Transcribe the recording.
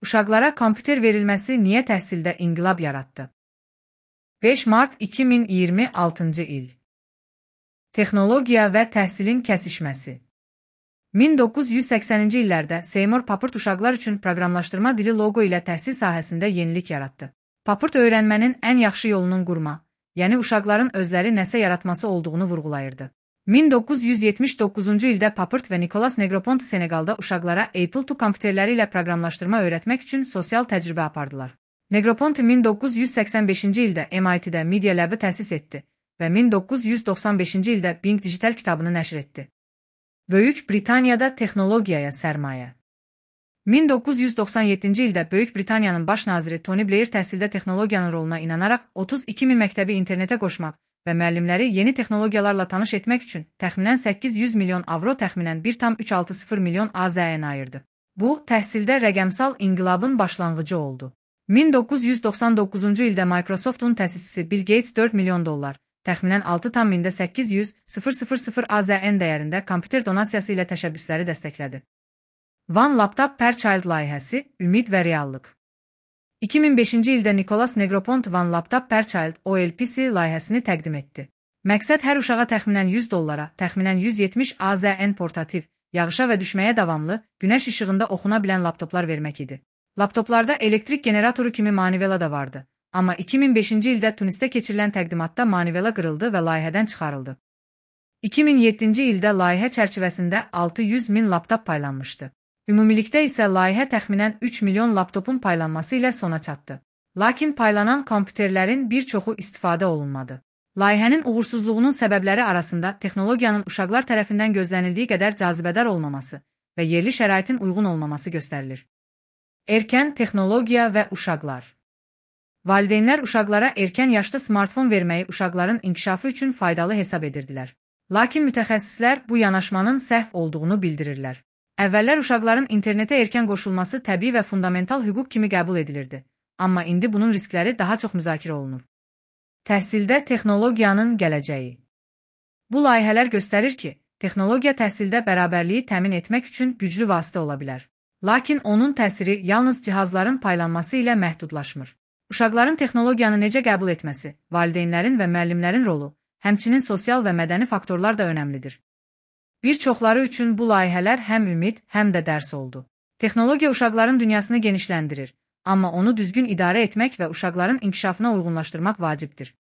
Uşaqlara kompüter verilməsi niyə təhsildə inqilab yaratdı? 5 mart 2026-cı il. Texnologiya və təhsilin kəsişməsi. 1980-ci illərdə Seymour Papert uşaqlar üçün proqramlaşdırma dili loqo ilə təhsil sahəsində yenilik yaratdı. Papert öyrənmənin ən yaxşı yolunun qurma, yəni uşaqların özləri nəsə yaratması olduğunu vurğulayırdı. 1979-cu ildə Papert və Nicolas Negroponte Senegalda uşaqlara Apple II kompüterləri ilə proqramlaşdırma öyrətmək üçün sosial təcrübə apardılar. Negroponte 1985-ci ildə MIT-də Media Lab-ı təsis etdi və 1995-ci ildə Bing digital kitabını nəşr etdi. Böyük Britaniyada texnologiyaya sərmayə. 1997-ci ildə Böyük Britaniyanın baş naziri Tony Blair təhsildə texnologiyanın roluna inanaraq 32 min məktəbi internetə qoşmaq və müəllimləri yeni texnologiyalarla tanış etmək üçün təxminən 800 milyon avro təxminən 1,360 milyon AZN ayırdı. Bu, təhsildə rəqəmsal inqilabın başlanğıcı oldu. 1999-cu ildə Microsoftun təsisçisi Bill Gates 4 milyon dollar, təxminən 6,800 AZN dəyərində kompüter donasiyası ilə təşəbbüsləri dəstəklədi. One Laptop per Child layihəsi, ümid və reallıq. 2005-ci ildə Nicolas Negroponte One Laptop per Child OLPC layihəsini təqdim etdi. Məqsəd hər uşağa təxminən 100 dollara, təxminən 170 AZN portativ, yağışa və düşməyə davamlı, günəş işığında oxuna bilən laptoplar vermək idi. Laptoplarda elektrik generatoru kimi manivela da vardı. Amma 2005-ci ildə Tunisdə keçirilən təqdimatda manivela qırıldı və layihədən çıxarıldı. 2007-ci ildə layihə çərçivəsində 600 min laptop paylanmışdı. Ümumilikdə isə layihə təxminən 3 milyon laptopun paylanması ilə sona çatdı. Lakin paylanan kompüterlərin bir çoxu istifadə olunmadı. Layihənin uğursuzluğunun səbəbləri arasında texnologiyanın uşaqlar tərəfindən gözlənildiyi qədər cazibədar olmaması və yerli şəraitin uyğun olmaması göstərilir. Erkən texnologiya və uşaqlar. Valideynlər uşaqlara erkən yaşda smartfon verməyi uşaqların inkişafı üçün faydalı hesab edirdilər. Lakin mütəxəssislər bu yanaşmanın səhv olduğunu bildirirlər. Əvvəllər uşaqların internetə erkən qoşulması təbii və fundamental hüquq kimi qəbul edilirdi. Amma indi bunun riskləri daha çox müzakirə olunur. Təhsildə texnologiyanın gələcəyi. Bu layihələr göstərir ki, texnologiya təhsildə bərabərliyi təmin etmək üçün güclü vasitə ola bilər. Lakin onun təsiri yalnız cihazların paylanması ilə məhdudlaşmır. Uşaqların texnologiyanı necə qəbul etməsi, valideynlərin və müəllimlərin rolu, həmçinin sosial və mədəni faktorlar da önəmlidir. Bir çoxları üçün bu layihələr həm ümid, həm də dərs oldu. Texnologiya uşaqların dünyasını genişləndirir, amma onu düzgün idarə etmək və uşaqların inkişafına uyğunlaşdırmaq vacibdir.